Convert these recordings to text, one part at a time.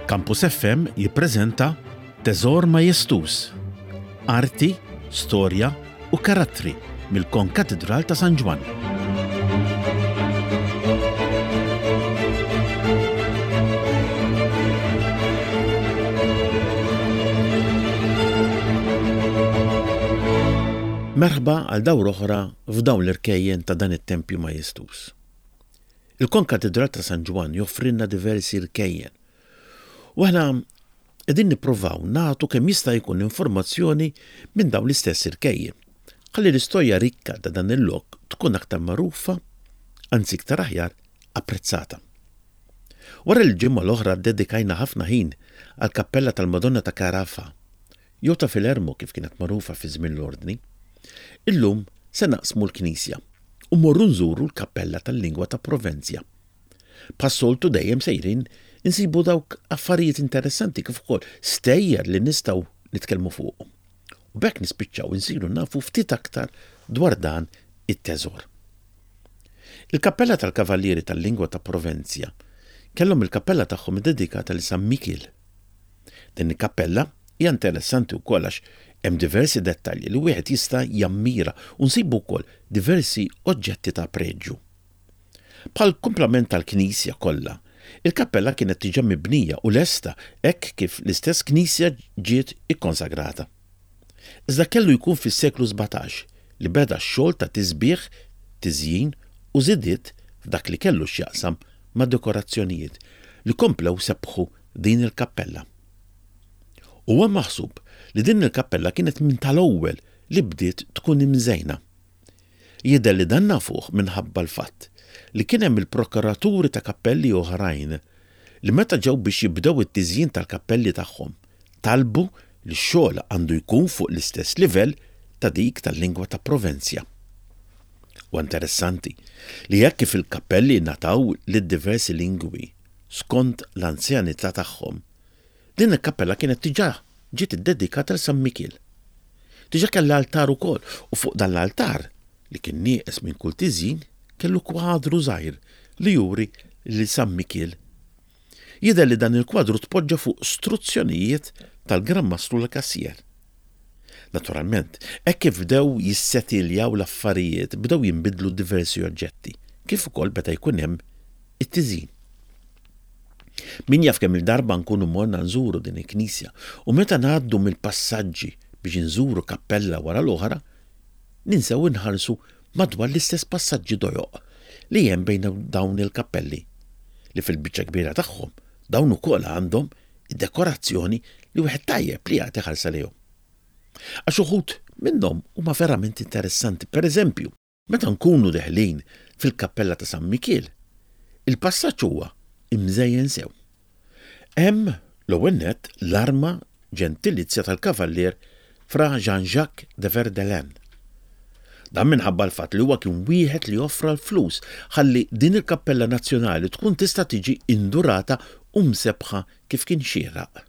Campus FM jippreżenta Teżor Majestuż, Arti, Storja u Karattri mill-Konkatidral ta' San Ġwann. Merħba għal dawra oħra f'dawn l-irkejjen ta' dan it-tempju majestuż. Il-Konkatidral ta' San Ġwann joffrilna diversi rkejjen u aħna qegħdin nippruvaw nagħtu kemm jista' jkun informazzjoni minn dawn l-istess irkejjen ħalli l-istorja rikka ta' dan il-lok tkun aktar magħrufa, anzi iktar aħjar apprezzata. Wara li l-ġimgħa l-oħra ddedikajna ħafna ħin għall-kappella tal-Madonna ta' Carafa, jew ta' Filermo kif kienet magħrufa fi żmien l-Ordni, illum se naqsmu l-knisja u mmorru nżuru l-kappella tal-lingwa ta' Provenzja. Bħas-soltu dejjem sejrin insibu dawk affarijiet interessanti kif ukoll stejjer li nistgħu nitkellmu fuqhom. U b'hekk nispiċċaw insiru nafu ftit aktar dwar dan it-teżor. Il-kappella tal-Kavallieri tal-Lingwa ta' Provenzja kellhom il-kappella tagħhom iddedikata lil San Mikiel. Din il-kappella hija interessanti wkoll għax hemm diversi dettalji li wieħed jista' jammira u nsibu wkoll diversi oġġetti ta' preġju. Bħall-kumplament tal-knisja kollha, il-kappella kienet diġà mibnija u lesta hekk kif l-istess knisja ġiet ikkonsagrata. Iżda kellu jkun fis-seklu 17 li beda x-xogħol ta' tisbiħ, tiżjin u żidiet f'dak li kellu x'jaqsam ma' dekorazzjonijiet li komplew sebbħu din il-kappella. Huwa maħsub li din il-kappella kienet minn tal-ewwel li bdiet tkun imżejna. Jidher li dan nafuh minħabba l-fatt li kien hemm il-prokuraturi ta' kappelli oħrajn li meta ġew biex jibdew it-tiżjin tal-kappelli tagħhom talbu li x-xogħol għandu jkun fuq l-istess livell ta' dik tal-lingwa ta' Provenzja. Huwa interessanti li hekk kif il-kappelli ngħataw lid-diversi lingwi skont l-anzjanità tagħhom, Din il-kappella kienet diġà ġiet iddedikata lil San Mikiel. Diġà kellha altar ukoll u fuq dan l-altar, li kien nieqes minn kull tiżjin, kellu kwadru żgħir li juri lil San Mikiel. Jidher li dan il-kwadru tpoġġa fuq struzzjonijiet tal-Gran Mastru Lacassière. Naturalment, hekk kif bdew jissetiljaw l-affarijiet bdew jinbidlu diversi oġġetti, kif ukoll beda jkun hemm it-tiżjin. Min jaf kemm-il darba nkunu morna nżuru din il-knisja u meta ngħaddu mill-passaġġi biex inżuru kappella wara l-oħra, ninsew inħarsu madwar l-istess passaġġi dojoq li hemm bejn dawn il-kappelli, li fil-biċċa kbira tagħhom dawn ukoll għandhom id-dekorazzjoni li wieħed tajjeb li jagħti ħarsa lejhom. Għax uħud minnhom huma verament interessanti. Per eżempju, Meta nkunu deħlin fil-kappella ta' San Mikiel, il-passaġġ huwa imżejjen sew. Hemm, l-ewwel nett, l-arma ġentilizja tal-Kavallier Fra Jean-Jacques de Verdelin. Dan minħabba l-fatt li huwa kien wieħed li offra l-flus ħalli din il-kappella nazzjonali tkun tista' tiġi indurata u msebbħa kif kien xieraq.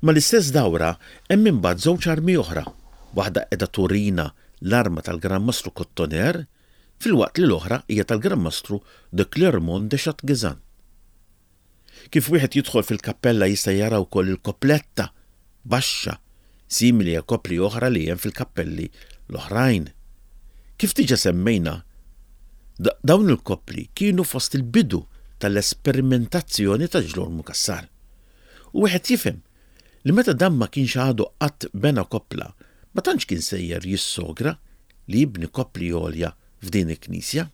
Mal-istess dawra hemm imbagħad żewġ armi oħra, waħda qiegħda turina l-arma tal-Gran Mastru Cottoner filwaqt li l-oħra hija tal-Gran Mastru de Clermont de Chatgezan. Kif wieħed jidħol fil-kappella jista' jara wkoll il-kopletta baxxa simili għal kopli oħra li hemm fil-kappelli l-oħrajn. Kif diġà semmejna, dawn il-koppli kienu fost il-bidu tal-esperimentazzjoni ta' Ġlormu Cassar. U wieħed jifhem li meta dan ma kienx għadu qatt bena koppla, ma tantx kien sejjer jissogra li jibni koppli għolja f'din il-knisja.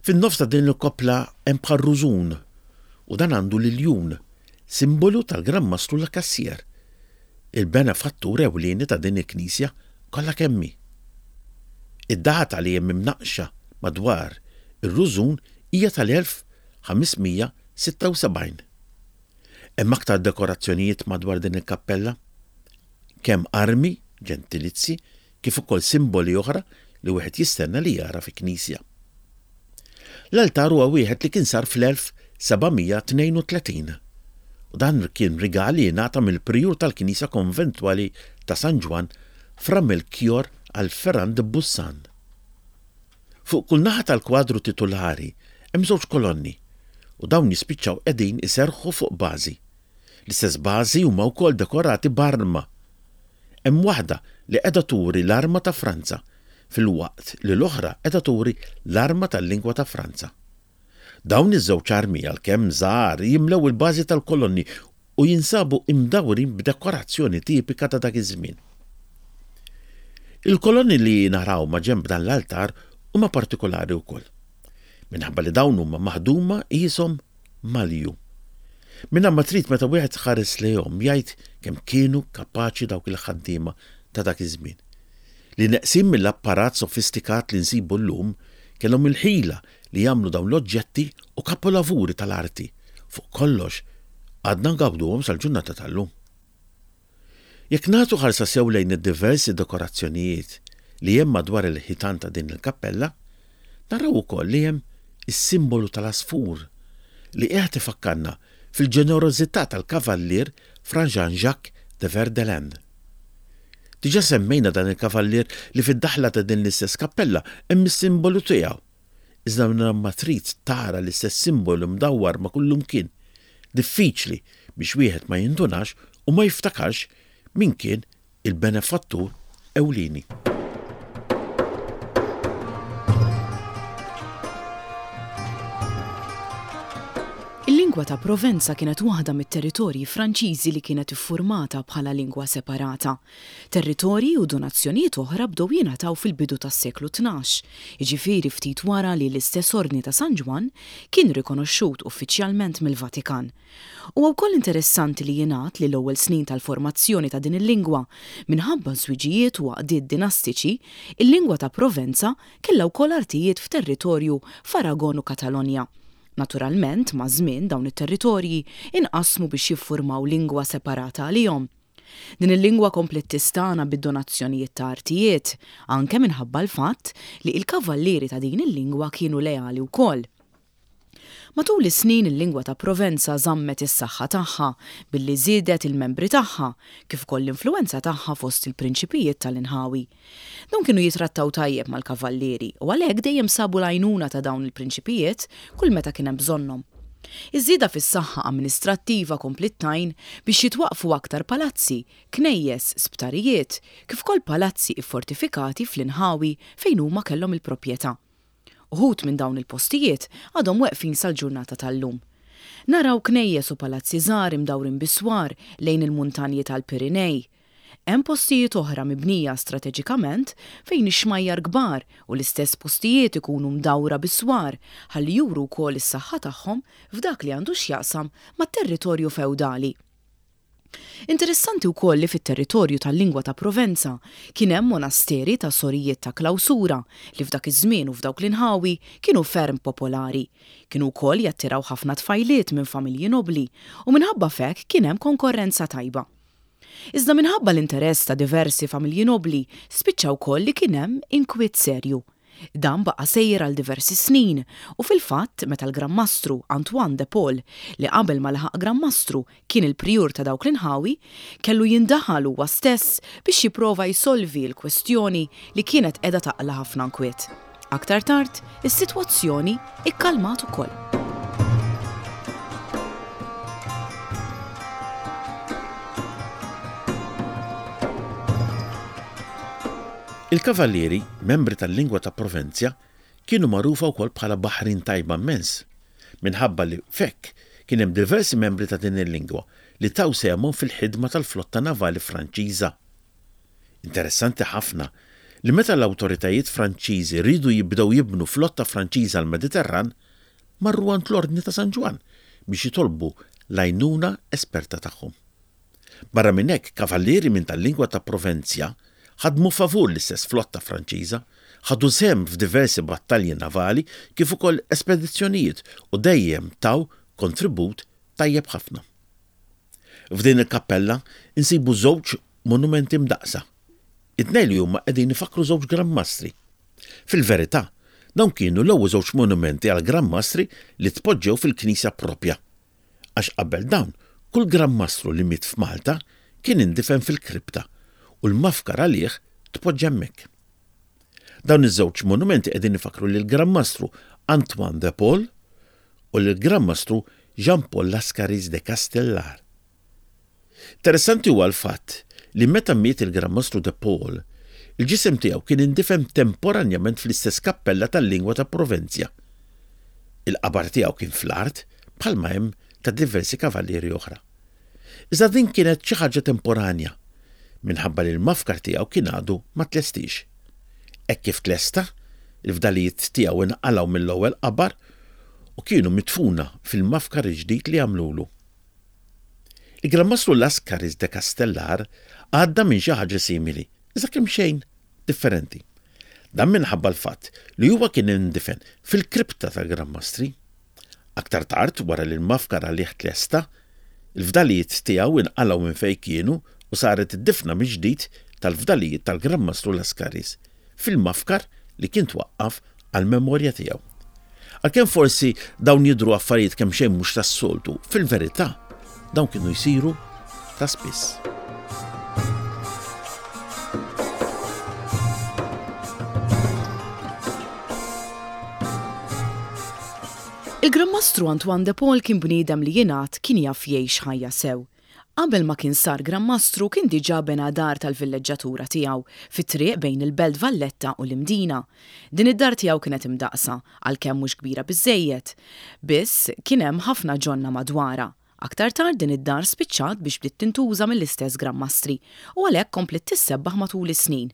Fin-nofs ta' din il-koppla hemm bħal rużun u dan għandu l-iljun, simbolu tal-Gran Mastru Lacassière, il-benefattur ewlieni ta' din il-knisja kollha kemm hi. Id-data li hemm imnaqqxa madwar ir-rużun hija tal-1576. Hemm aktar dekorazzjonijiet madwar din il-kappella, kemm armi, ġentilizzi, kif ukoll simboli oħra li wieħed jistenna li jara fi knisja. L-altar huwa wieħed li kien sar fl-1732 u dan kien rigal li ingħata mill-prijur tal-knisja konventwali ta' San Ġwann Fra Melchior għal Ferrand de Bussan. Fuq kull naħa tal-kwadru titulari hemm żewġ kolonni u dawn jispiċċaw qegħdin iserrħu fuq bażi. L-istess bażi huma wkoll dekorati b'arma. Hemm waħda li qiegħda turi l-arma ta' Franza filwaqt li l-oħra qiegħda turi l-arma tal-lingwa ta' Franza. Dawn iż-żewġ armi għalkemm żgħar jimlew il-bażi tal-kolonni u jinsabu imdawrin b'dekorazzjoni tipika ta' dak iż-żmien. Il-kolonni li naraw maġenb dan l-altar huma partikolari wkoll, minħabba li dawn huma maħduma qishom malju. Mingħajr ma trid meta wieħed iħares lejhom jgħid kemm kienu kapaċi dawk il-ħaddiema ta' dak iż-żmien. Li neqsin mill-apparat sofistikat li nsibu llum, kellhom il-ħila li jagħmlu dawn l-oġġetti u kapolavuri tal-arti. Fuq kollox, għadna ngawduhom sal-ġurnata tal-lum. Jekk nagħtu ħarsa sew lejn id-diversi dekorazzjonijiet li hemm madwar il-ħitan ta' din il-kappella, naraw ukoll li hemm is-simbolu tal-għasfur li qiegħed ifakkarna fil-ġenerożità tal-Kavallier Fra Jean-Jacques de Verdelin. Diġà semmejna dan il-kavallier li fid-daħla ta' din l-istess kappella hemm is-simbolu tiegħu. Iżda mingħajr ma trid tara l-istess simbolu mdawwar ma' kullumkien, diffiċli biex wieħed ma jindunax u ma jiftakarx min kien il-benefattur ewlieni. Il-lingwa ta' Provenza kienet waħda mit-territorji Franċiżi li kienet iffurmata bħala lingwa separata. Territorji u donazzjonijiet oħra bdew jingħataw fil-bidu tas-seklu 12, jiġifieri ftit wara li l-istess Ordni ta' San Ġwann kien rikonoxxut uffiċjalment mill-Vatikan. Huwa wkoll interessanti li jingħad li l-ewwel snin tal-formazzjoni ta' din il-lingwa, minħabba żwiġijiet u għaqdiet dinastiċi, il-lingwa ta' Provenza kellha wkoll artijiet f'territorju f'Aragon u Katalonja. Naturalment, maż-żmien dawn it-territorji inqasmu biex jiffurmaw lingwa separata għalihom. Din il-lingwa kompliet tistagħna bid-donazzjonijiet ta' artijiet, anke minħabba l-fatt li il-kavallieri ta' din il-lingwa kienu leali wkoll. Matul is-snin il-lingwa ta' Provenza żammet is-saħħa tagħha billi żiedet il-membri tagħha, kif ukoll l-influwenza tagħha fost il-prinċipijiet tal-inħawi. Dawn kienu jitrattaw tajjeb mal-kavallieri u għalhekk dejjem sabu l-għajnuna ta' dawn il-prinċipijiet kull meta kien hemm bżonnhom. Iż-żieda fis-saħħa amministrattiva kompliet tgħin biex jitwaqqfu aktar palazzi, knejjes, sptarijiet, kif ukoll palazzi iffortifikati fl-inħawi fejn huma kellhom il-proprjetà. Uħud minn dawn il-postijiet għadhom weqfin sal-ġurnata tal-lum. Naraw knejjes u palazzi żgħar imdawrin bi swar lejn il-muntanji tal-Pirinej. Hemm postijiet oħra mibnija strateġikament fejn ix-xmajjar kbar u l-istess postijiet ikunu mdawra bi swar ħalli juru wkoll is-saħħa tagħhom f'dak li għandu x'jaqsam mat-territorju fewdali. Interessanti wkoll li fit-territorju tal-lingwa ta' Provenza kien hemm monasteri ta' sorijiet ta' klawsura li f'dak iż-żmien u f'dawk l-inħawi kienu ferm popolari. Kienu wkoll jattiraw ħafna tfajliet minn familji nobbli u minħabba f'hekk kien hemm konkorrenza tajba. Iżda minħabba l-interess ta' diversi familji nobbli, spiċċa wkoll li kien hemm inkwiet serju. Dan baqa' sejjer għal diversi snin u fil-fatt meta l-Gran Mastru Antoine de Paul, li qabel ma laħaq Gran Mastru kien il-prijur ta' dawk l-inħawi, kellu jindaħal huwa stess biex jipprova jsolvi l-kwestjoni li kienet qiegħda taqla' ħafna nkwiet. Aktar tard, is-sitwazzjoni ikkalmat ukoll. Il-Kavallieri, membri tal-lingwa ta' Provenzja, kienu magħrufa wkoll bħala baħrin tajba mmens, minħabba li f'hekk kien hemm diversi membri ta' din il-lingwa li taw sehemhom fil-ħidma tal-flotta navali Franċiża. Interessanti ħafna li meta l-awtoritajiet Franċiżi riedu jibdew jibnu flotta Franċiża għall-Mediterran, marru għand l-Ordni ta' San Ġwann biex jitolbu l-għajnuna esperta tagħhom. Barra minn hekk, kavallieri minn tal-lingwa ta' Provenzja ħadmu favur l-istess flotta Franċiża, ħadu sehem f'diversi battalji navali kif ukoll espedizzjonijiet u dejjem taw kontribut tajjeb ħafna. F'din il-kappella nsibu żewġ monumenti mdaqqsa. It-tnejn li huma qegħdin ifakkru żewġ Gran Mastri. Fil-verità, dawn kienu l-ewwel żewġ monumenti għal Gran Mastri li tpoġġew fil-knisja proprja. Għax qabel dawn, kull Gran Mastru li miet f'Malta kien indifen fil-kripta u l-mafkar għalih tpoġġa hemmhekk. Dawn iż-żewġ monumenti qegħdin ifakkru lill-Gran Mastru Antoine de Paul u lill-Gran Mastru Jean Paul Lascaris de Castellar. Interessanti huwa l-fatt li meta miet il-Gran Mastru de Paul, il-ġisem tiegħu kien indifen temporanjament fl-istess kappella tal-lingwa ta' Provenzja. Il-qabar tiegħu kien fl-art bħalma hemm ta' diversi kavallieri oħra. Iżda din kienet xi ħaġa temporanja, minħabba li l-mafkar tiegħu kien għadu ma tlestix. Hekk kif tlesta, il-fdalijiet tiegħu inqalgħu mill-ewwel qabar u kienu midfuna fil-mafkar il-ġdid li għamlulu. Il-Gran Mastru Lascaris de Castellar għadda minn xi ħaġa simili, iżda kemxejn differenti. Dan minħabba l-fatt li huwa kien indifen fil-kripta tal-Gran Mastri. Aktar tard, wara li l-mafkar għalih tlesta, il-fdalijiet tiegħu inqalgħu minn fejn kienu u saret id-difna mill-ġdid tal-fdalijiet tal-Gran Mastru Lascaris fil-mafkar li kien twaqqaf għall-memorja tiegħu. Għalkemm forsi dawn jidhru affarijiet kemxejn mhux tas-soltu, fil-verità dawn kienu jsiru ta' spiss. Il-Gran Mastru Antoine de Paul kien bniedem li jingħad kien jaf jgħix ħajja sew. Qabel ma kien sar Gran Mastru kien diġà bena dar tal-villeġġatura tiegħu fit-triq bejn il-Belt Valletta u l-Imdina. Din id-dar tiegħu kienet imdaqqsa, għalkemm mhux kbira biżżejjed. Biss, kien hemm ħafna ġonna madwarha. Aktar tard din id-dar spiċċat biex bdiet tintuża mill-istess Gran Mastri u għalhekk kompliet tissebbaħ matul is-snin.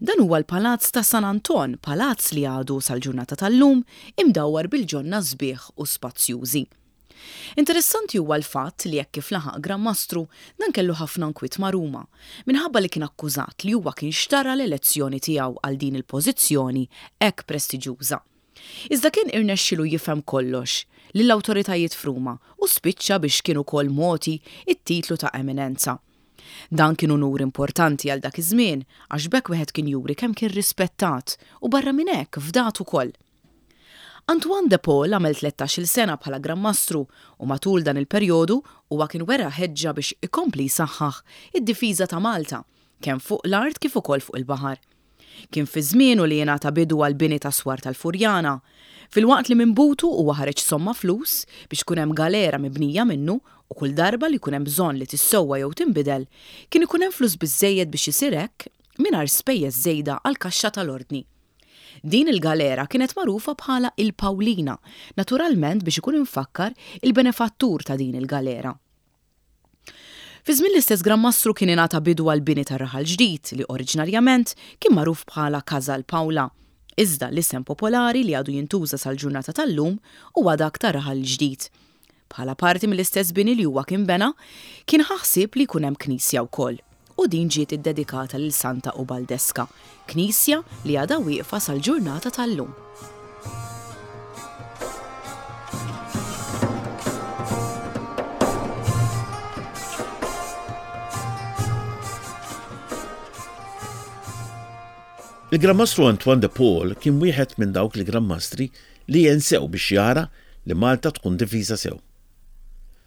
Dan huwa l-Palazz ta' San Anton, palazz li għadu sal-ġurnata tal-lum imdawwar bil-ġonna sbieħ u spazjużi. Interessanti huwa l-fatt li hekk kif laħaq Gran Mastru, dan kellu ħafna nkwiet ma' Ruma, minħabba li kien akkużat li huwa kien xtara l-elezzjoni tiegħu għal din il-pożizzjoni hekk prestiġjuża. Iżda kien irnexxielu jifhem kollox lill-awtoritajiet f'Ruma u spiċċa biex kien ukoll mogħti t-titlu ta' Eminenza. Dan kien unur importanti għal dak iż-żmien għax b'hekk wieħed kien juri kemm kien rispettat u barra minn hekk fdat ukoll. Antoine de Paul għamel tlettax-il sena bħala Gran Mastru u matul dan il-perjodu huwa kien wera ħeġġa biex ikompli jsaħħaħ id-difiża ta' Malta, kemm fuq l-art kif ukoll fuq il-baħar. Kien fi żmienu li ingħata bidu għall-bini tas-swar tal-Furjana, filwaqt li minn butu huwa ħareġ somma flus biex ikun hemm galera mibnija minnu u kull darba li jkun hemm bżonn li tissewwa jew tinbidel, kien ikun hemm flus biżżejjed biex isir hekk mingħajr spejjeż żejda għall-kaxxa tal-Ordni. Din il-galera kienet magħrufa bħala il-Pawlina, naturalment biex ikun imfakkar il-benefattur ta' din il-galera. Fi żmien l-istess Gran Mastru kien ingħata bidu għall-bini tar-Raħal Ġdid li oriġinarjament kien magħruf bħala Casal Paola. Iżda l-isem popolari li għadu jintuża sal-ġurnata tal-lum huwa dak ta' Raħal Ġdid. Bħala parti mill-istess bini li huwa kien bena, kien ħa ħsieb li jkun hemm knisja wkoll, u din ġiet iddedikata lil Santa Ubaldeska, knisja li għadha wieqfa sal-ġurnata tal-lum. Il-Gran Mastru Antoine de Paul kien wieħed minn dawk il-Gran Mastri li għen sew biex jara li Malta tkun difiża sew.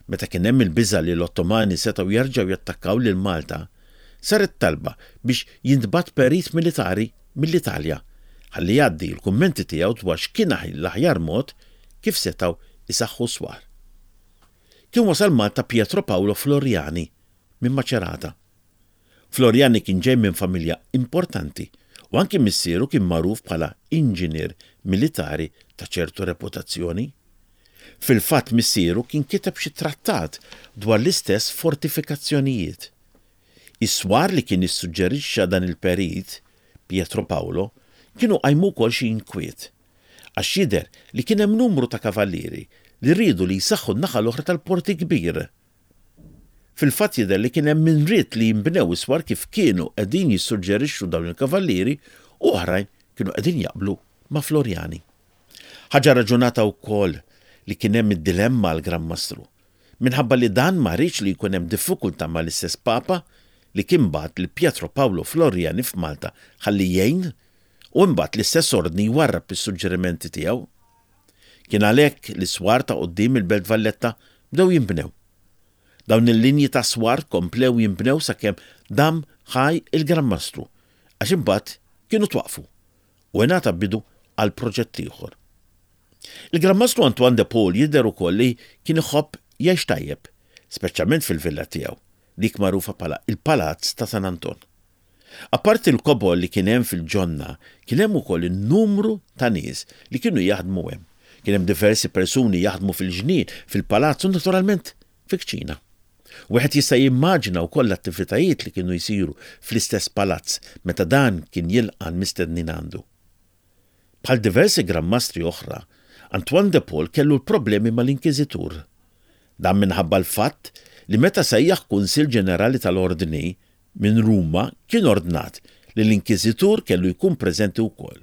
Meta kien hemm il-biża' li l-Ottomani setgħu jerġgħu jattakkaw lil Malta, saret talba biex jintbagħat perit militari mill-Italja ħalli jgħaddi l-kummenti tiegħu dwar x'kien l-aħjar mod kif setgħu jsaħħu s-swar. Kien wasal Malta Pietro Paolo Floriani minn Macerata. Floriani kien ġej minn familja importanti u anki missieru kien magħruf bħala inġinier militari ta' ċertu reputazzjoni. Fil-fatt missieru kien kiteb xi trattat dwar l-istess fortifikazzjonijiet. Is-swar li kien issuġġerixxa dan il-perit, Pietro Paolo, kienu qajmu wkoll xi inkwiet. Għax jidher li kien hemm numru ta' kavallieri li riedu li jsaħħu n-naħa l-oħra tal-Port il-Kbir. Fil-fatt jidher li kien hemm min ried li jinbnew is-swar kif kienu qegħdin jissuġġerixxu dawn il-kavallieri u oħrajn kienu qegħdin jaqblu ma' Floriani. Ħaġa raġunata wkoll li kien hemm id-dilemma għall-Gran Mastru, minħabba li dan ma riedx li jkun hemm diffikultà mal-istess Papa li kien bagħat lil Pietro Paolo Floriani f'Malta ħalli jgħin u imbagħad l-istess Ordni jwarrab is-suġġerimenti tiegħu. Kien għalhekk li s-swar ta' quddiem il-Belt Valletta bdew jinbnew. Dawn il-linji ta' swar komplew jinbnew sakemm dam ħaj il-Gran Mastru, għax imbagħad kienu twaqqfu u ingħata bidu għal proġett ieħor. Il-Gran Mastru Antoine de Paul jidher ukoll li kien iħobb jgħix tajjeb, speċjalment fil-villa tiegħu. dik magħrufa bħala il-Palazz ta' San Anton. Apparti l-kobor li kien hemm fil-ġonna, kien hemm ukoll in-numru ta' nies li kienu jaħdmu hemm. Kien hemm diversi persuni jaħdmu fil-ġnien, fil-palazz u naturalment fil-kċina. Wieħed jista' jimmaġina wkoll l-attivitajiet li kienu jsiru fl-istess palazz meta dan kien jilqa' l-mistednin għandu. Bħal diversi Gran Mastri oħra, Antoine de Paul kellu l-problemi mal-Inkiżitur. Dan minħabba l-fatt li meta sejjaħ Kunsill Ġenerali tal-Ordni minn Ruma kien ordnat li l-Inkiżitur kellu jkun preżenti wkoll.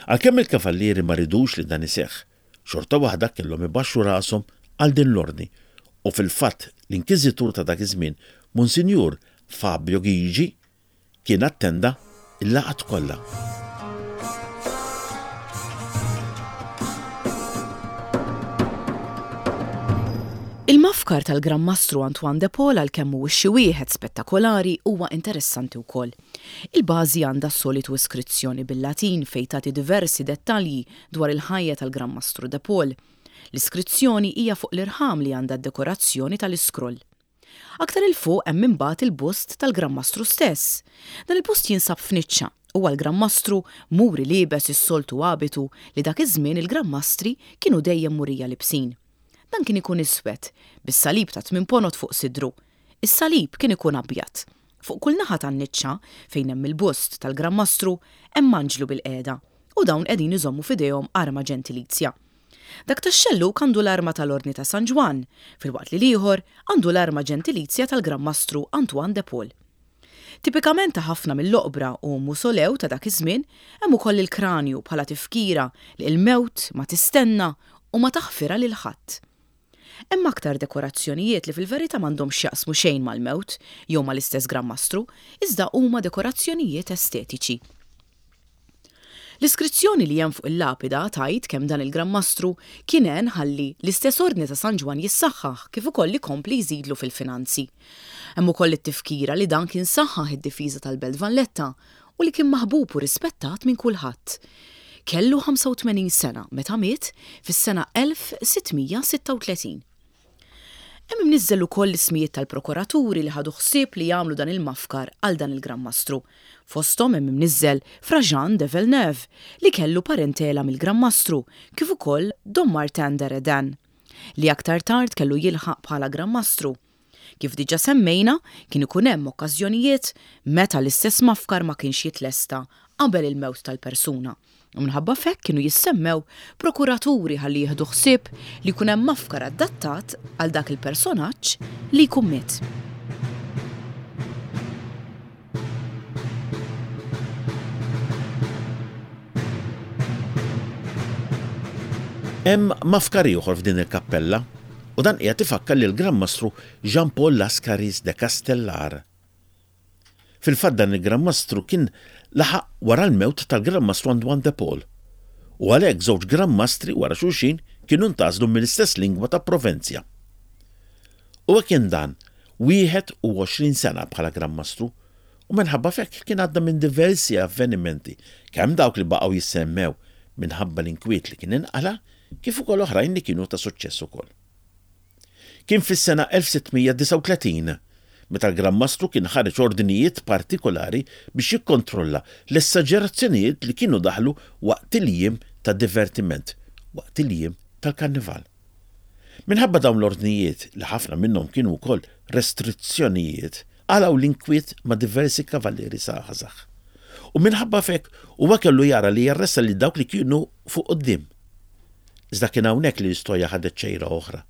Għalkemm il-Kavallieri ma ridux li dan iseħħ, xorta waħda kellhom ibaxxu rashom għal din l-ordni u fil-fatt l-Inkiżitur ta' dak iż-żmien, Monsinjur Fabio Ghigi, kien attenda l-laqgħat kollha. Il-mafkar tal-Gran Mastru Antoine de Paul għalkemm mhuwiex xi wieħed spettakolari huwa interessanti wkoll. Il-bażi għandha s-solitu iskrizzjoni bil-Latin fejn tagħti diversi dettalji dwar il-ħajja tal-Gran Mastru de Paul. L-iskrizzjoni hija fuq l-irħam li għandha d-dekorazzjoni tal-iskroll. Aktar 'il fuq hemm imbagħad il-bust tal-Gran Mastru stess. Dan il-bust jinsab f'niċċa u għall-Gran Mastru muri liebes is-soltu abitu li dak iż-żmien il-Gran Mastri kienu dejjem murija libsin. Dan kien ikun iswed, bis-salib ta' tmien ponot fuq sidru. Is-salib kien ikun abjad. Fuq kull naħa tan-niċċa, fejn hemm il-bust tal-Gran Mastru, hemm anġlu bilqiegħda u dawn qegħdin iżommu f'idejhom arma ġentilizja. Dak tax-xellug għandu l-arma tal-Ordni ta' San Ġwann, filwaqt li l-ieħor għandu l-arma ġentilizja tal-Gran Mastru Antoine de Paul. Tipikament ta' ħafna mill-oqbra u musolew ta' dak iż-żmien hemm ukoll il-kranju bħala tifkira li l-mewt ma tistenna u ma taħfirha lil ħadd. Hemm aktar dekorazzjonijiet li fil-verità m'għandhomx x'jaqsmu xejn mal-mewt jew mal-istess Gran Mastru, iżda huma dekorazzjonijiet estetiċi. L-iskrizzjoni li hemm fuq il-lapida tgħid kemm dan il-Gran Mastru kien għen ħalli l-istess Ordni ta' San Ġwann jissaħħaħ kif ukoll ikompli jżidlu fil-finanzi. Hemm ukoll it-tifkira li dan kien saħħaħ id-difiża tal-Belt Valletta u li kien maħbub u rispettat minn kulħadd. Kellu 85 sena meta miet fis-sena 1636. Hemm imniżżel ukoll l-ismijiet tal-prokuraturi li ħadu ħsieb li jagħmlu dan il-mafkar għal dan il-Gran Mastru. Fosthom hemm imniżżel Fra Jean de Villeneuve, li kellu parentela mill-Gran Mastru, kif ukoll Dom Martin de Redin, li aktar tard kellu jilħaq bħala Gran Mastru. Kif diġà semmejna, kien ikun hemm okkażjonijiet meta l-istess mafkar ma kienx jitlesta qabel il-mewt tal-persuna, u minħabba f'hekk kienu jissemmew prokuraturi ħalli jieħdu ħsieb li jkun hemm mafkar adattat għal dak il-personaġġ li jkun miet. Hemm mafkar ieħor f'din il-kappella u dan qiegħed ifakkar lill-Gran Mastru Jean Paul Lascaris de Castellar. Fil-fatt dan il-Gran Mastru kien laħaq wara l-mewt tal-Gran Mastru Antoine de Paul u għalhekk żewġ Gran Mastri wara xulxin kienu ntgħażlu mill-istess lingwa ta' Provenzja. Huwa kien dan 21 sena bħala Gran Mastru u minħabba f'hekk kien għadda minn diversi avvenimenti kemm dawk li baqgħu jissemmew minħabba l-inkwiet li kien inqala' kif ukoll oħrajn li kienu ta' suċċess ukoll. Kien fis-sena 1639 meta l-Gran Mastru kien ħareġ ordnijiet partikolari biex jikkontrolla l-esaġerazzjonijiet li kienu daħlu waqt il-jiem ta' divertiment, waqt il-jiem tal-Karnival. Minħabba dawn l-ordnijiet, li ħafna minnhom kienu wkoll restrizzjonijiet, qalgħu l-inkwiet ma' diversi kavallieri żgħażagħ. U minħabba f'hekk huwa kellu jara li jarresta lil dawk li kienu fuq quddiem. Iżda kien hawnhekk li l-istorja ħadet xejra oħra,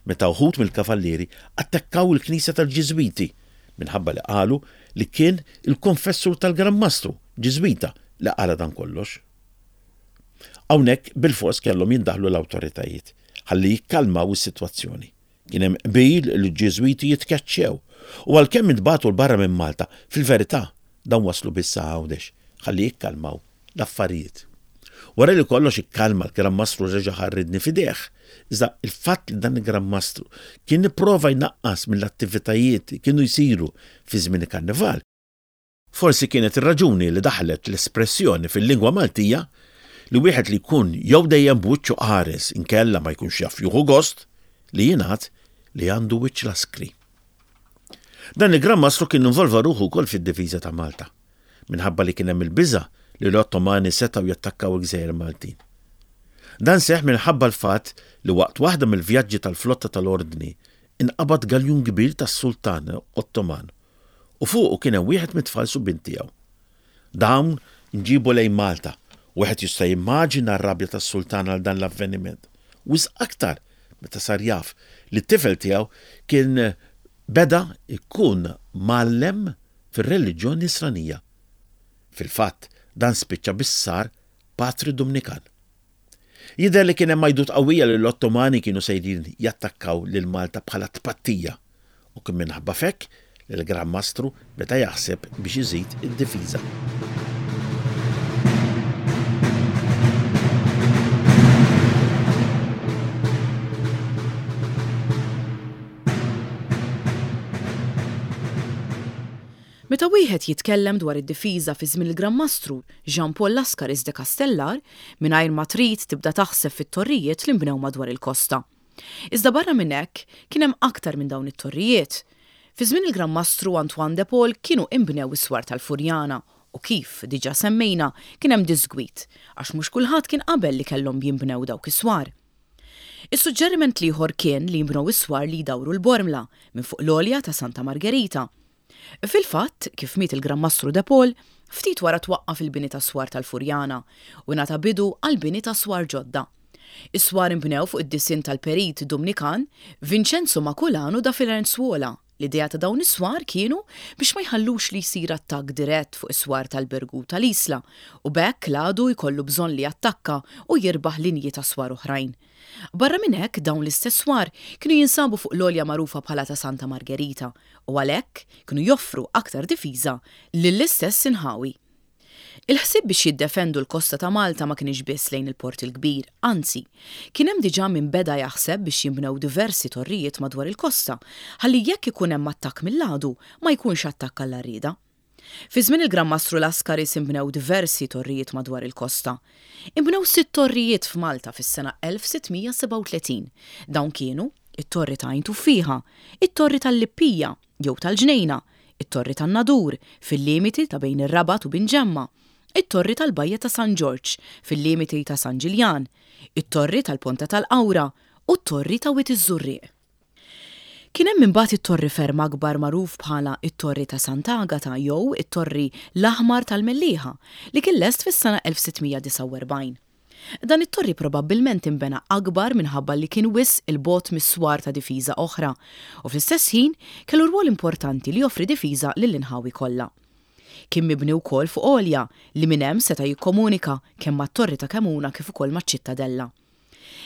meta wħud mill-kavallieri attakkaw il-knisja tal-Ġiżwiti minħabba li qalu li kien il-konfessur tal-Gran Mastru, Ġiżwita, li qala dan kollox. Hawnhekk bilfors kellhom jindaħlu l-awtoritajiet ħalli jikkalmaw is-sitwazzjoni. Kien hemm qbil li l-Ġiżwiti jitkeċċew u għalkemm intbagħtu 'l barra minn Malta, fil-verità dawn waslu biss sa Għawdex ħalli jikkalmaw l-affarijiet. Wara li kollox ikkalma l-Gran Mastru reġa' ħa r-riedni f'idejh. Iżda il-fatt li dan il-Gran Mastru kien ipprova jnaqqas mill-attivitajiet li kienu jsiru fi żmien il-Karnival, forsi kienet ir-raġuni li daħlet l-espressjoni fil-lingwa Maltija li wieħed li jkun jew dejjem b'wiċċu qares inkella ma jkunx jaf jieħu gost li jingħad li għandu wiċċ laskri. Dan il-Gran Mastru kien involva ruħu wkoll fid-difiża ta' Malta, minħabba li kien hemm il-biża' li l-Ottomani setgħu jattakkaw il-gżejjer Maltin. Dan seħħ minħabba l-fatt li waqt waħda mill-vjaġġi tal-flotta tal-Ordni inqabad galjun kbir tas-Sultan Ottoman u fuqu kien hemm wieħed mit-tfal subien tiegħu. Dawn nġiebu lejn Malta. Wieħed jista' jimmaġina r-rabja tas-Sultan għal dan l-avveniment, wisq aktar meta sar jaf li t-tifel tiegħu kien beda jkun mgħallem fir-reliġjon Nisranija. Fil-fatt, dan spiċċa biex sar patri Dumnikan. Jidher li kien hemm għajdut qawwija li l-Ottomani kienu sejrin jattakkaw lil Malta bħala tpattija u kien minħabba f'hekk li l-Gran Mastru beda jaħseb biex iżid id-difiża. Meta wieħed jitkellem dwar id-difiża fi żmien il-Gran Mastru Jean Paul Lascaris de Castellar, mingħajr ma trid tibda taħseb fit-torrijiet li nbnew madwar il-kosta. Iżda barra minn hekk, kien hemm aktar minn dawn it-torrijiet. Fi żmien il-Gran Mastru Antoine de Paul kienu inbnew is-swar tal-Furjana u kif diġà semmejna kien hemm diżgwid għax mhux kulħadd kien qabel li kellhom jinbnew dawk is-swar. Is-suġġeriment l-ieħor kien li jinbnew is-swar li jdawru l-Bormla minn fuq l-għolja ta' Santa Margherita. Fil-fatt, kif miet il-Gran Mastru De Paul, ftit wara twaqqaf il-bini tas-swar tal-Furjana u ingħata bidu għall-bini ta' swar ġodda. Is-swar inbnew fuq id-disinn tal-perit Dumnikan, Vincenzo Maculano da Firenzuola. L-idea ta' dawn is-swar kienu biex ma jħallux li jsir attakk dirett fuq is-swar tal-Birgu u tal-Isla u b'hekk l-għadu jkollu bżonn li jattakka u jirbaħ linji ta' swar oħrajn. Barra minn hekk, dawn l-istess swar kienu jinsabu fuq l-għolja magħrufa bħala ta' Santa Margherita u għalhekk kienu joffru aktar difiża lill-istess inħawi. Il-ħsieb biex jiddefendu l-kosta ta' Malta ma kienx biss lejn il-Port il-Kbir, anzi, kien hemm diġà min beda jaħseb biex jinbnew diversi torrijiet madwar il-kosta ħalli jekk ikun hemm attakk mill-għadu ma jkunx attakk għall-għarrieda. Fi żmien il-Gran Mastru Lascaris inbnew diversi torrijiet madwar il-kosta. Inbnew sitt torrijiet f'Malta fis-sena 1637. Dawn kienu, it-Torri ta' Għajn Tuffieħa, it-Torri tal-Lippija, jew tal-Ġnejna, it-Torri tan-Nadur, fil-limiti ta' bejn ir-Rabat u Binġemma, it-Torri tal-Bajja ta' San Ġorġ, fil-limiti ta' San Ġiljan, it-Torri tal-Ponta tal-Qawra u t-Torri ta' Wied iż-Żurrieq. Kien hemm imbagħad it-torri ferm akbar magħruf bħala t-Torri ta' Sant'Agata jew it-Torri l-Aħmar tal-Mellieħa li kien lest fis-sena 1649. Dan it-torri probabbilment inbena akbar minħabba li kien wisq 'il bogħod mis-swar ta' difiża oħra u fl-istess ħin kellu rwol importanti li joffri difiża lill-inħawi kollha. Kien mibni wkoll fuq għolja li minn hemm seta' jikkomunika kemm mat-Torri ta' Kemuna kif ukoll maċ-Ċittadella.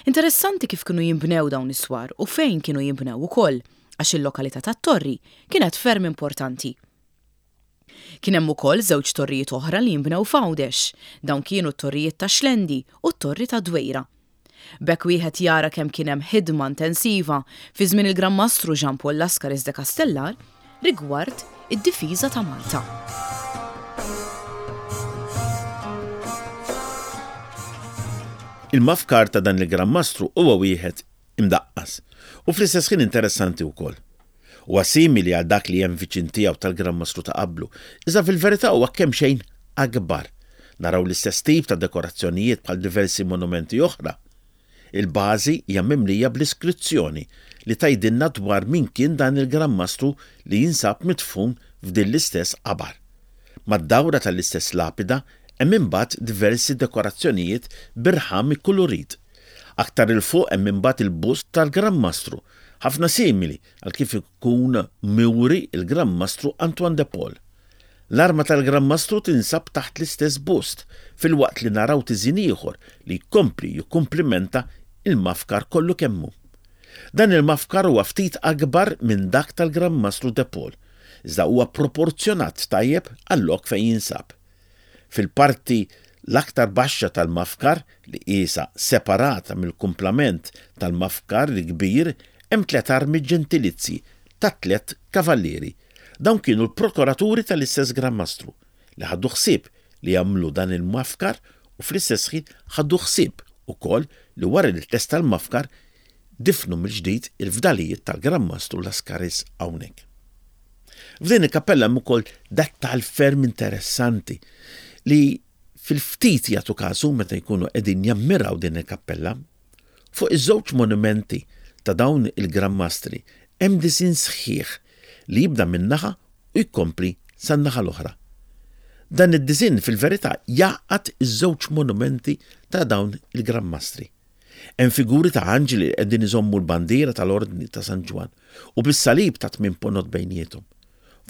Interessanti kif kienu jinbnew dawn is-swar u fejn kienu jinbnew ukoll, għax il-lokalità tat-torri kienet ferm importanti. Kien hemm ukoll żewġ torrijiet oħra li jinbnew f'Għawdex. Dawn kienu t-torrijiet tax-Xlendi u t-torri tad-Dwejra. B'hekk wieħed jara kemm kien hemm ħidma intensiva fi żmien il-Gran Mastru Jean Paul Lascaris de Castellar rigward id-difiża ta' Malta. Il-mafkar ta' dan il-Gran Mastru huwa wieħed imdaqqas u fl-istess ħin interessanti wkoll. Huwa simili għal dak li hemm viċin tiegħu tal-Gran Mastru ta' qablu, iżda fil-verità huwa kemxejn akbar. Naraw l-istess tip ta' dekorazzjonijiet bħal diversi monumenti oħra. Il-bażi hija mimlija bl-iskrizzjoni li tgħidilna dwar min kien dan il-Gran Mastru li jinsab midfun f'din l-istess qabar. Mad-dawra tal-istess lapida hemm imbagħad diversi dekorazzjonijiet b'irħam ikkulurit. Aktar 'il fuq hemm imbagħad il-bust tal-Gran Mastru, ħafna simili għal kif ikun muri l-Gran Mastru Antoine de Paul. L-arma tal-Gran Mastru tinsab taħt l-istess bust, filwaqt li naraw tiżjin ieħor li jkompli jikkumplimenta l-mafkar kollu kemm hu. Dan il-mafkar huwa ftit akbar minn dak tal-Gran Mastru de Paul, iżda huwa proporzjonat tajjeb għal-lok fejn jinsab. Fil-parti l-aktar baxxa tal-mafkar, li qiesha separata mill-kumplament tal-mafkar il-kbir, hemm tlett armi ġentilizji tat-tlett kavallieri. Dawn kienu l-prokuraturi tal-istess Gran Mastru, li ħadu ħsieb li jagħmlu dan il-mafkar u fl-istess ħin ħadu ħsieb ukoll li wara li tlesta l-mafkar difnu mill-ġdid il-fdalijiet tal-Gran Mastru Lascaris hawnhekk. F'din il-kappella hemm ukoll dettall ferm interessanti li fil-ftit jagħtu kasu meta jkunu qegħdin jammiraw din il-kappella. Fuq iż-żewġ monumenti ta' dawn il-Gran Mastri hemm disinn sħiħ li jibda minn naħa u jkompli san-naħa l-oħra. Dan id-disinn fil-verità jgħaqqad iż-żewġ monumenti ta' dawn il-Gran Mastri. Hemm figuri ta' anġli li qegħdin iżommu l-bandiera tal-Ordni ta' San Ġwann u bis-salib ta' tmien ponot bejniethom.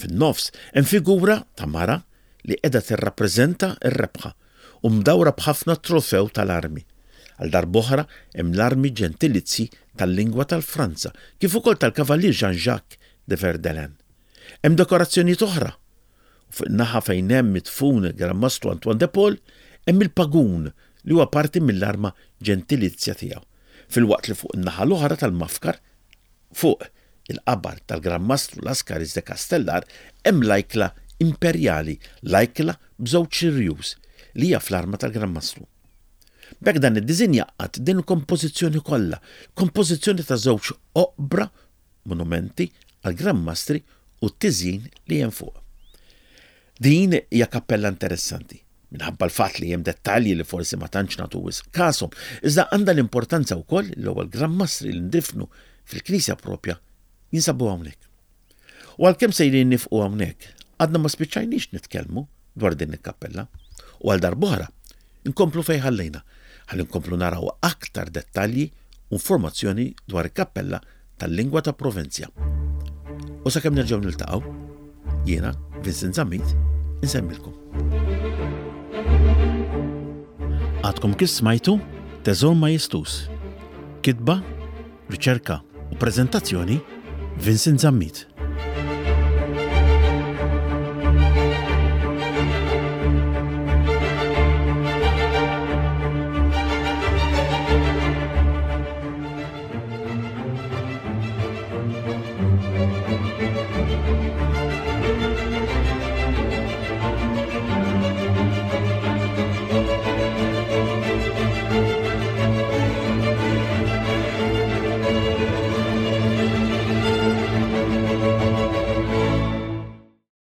Fin-nofs hemm figura ta' mara li qiegħda tirrappreżenta r-rebħa u mdawra b'ħafna trofew tal-armi. Għal darb'oħra hemm l-armi ġentilizji tal-lingwa tal-Franza kif ukoll tal-Kavallier Jean-Jacques de Verdelin. Hemm dekorazzjonijiet oħra u fuq in-naħa fejn hemm midfun il-Gran Mastru Antoine de Paul hemm il-pagun li huwa parti mill-arma ġentilizja tiegħu, filwaqt li fuq in-naħa l-oħra tal-mafkar fuq il-qabar tal-Gran Mastru Lascaris de Castellar hemm l-ajkla imperjali, l-ajkla b'żewġ irjus, li hija fl-arma tal-Gran Mastru. B'hekk dan id-diżinn jgħaqqad din il-kompożizzjoni kollha, kompożizzjoni ta' żewġ oqbra monumenti għall-Gran Mastri u t-tiżjin li hemm fuq. Din hija kappella interessanti, minħabba l-fatt li hemm dettalji li forsi ma tantx nagħtu wisq kashom, iżda għandha l-importanza wkoll li l-ewwel Gran Mastri li ndifnu fil-knisja propja jinsabu hawnhekk. U għalkemm sejrin nifqu hawnhekk, għadna ma spiċċajniex nitkellmu dwar din il-kappella. U għal darb'oħra, inkomplu fejn ħallejna, ħalli nkomplu naraw aktar dettalji u informazzjoni dwar il-kappella tal-lingwa ta' Provenzja. U sakemm nerġgħu niltaqgħu, jiena Vincent Zammit insemmilkom. Għadkom kif smajtu Teżor Majestus. Kitba, riċerka u preżentazzjoni Vincent Zammit.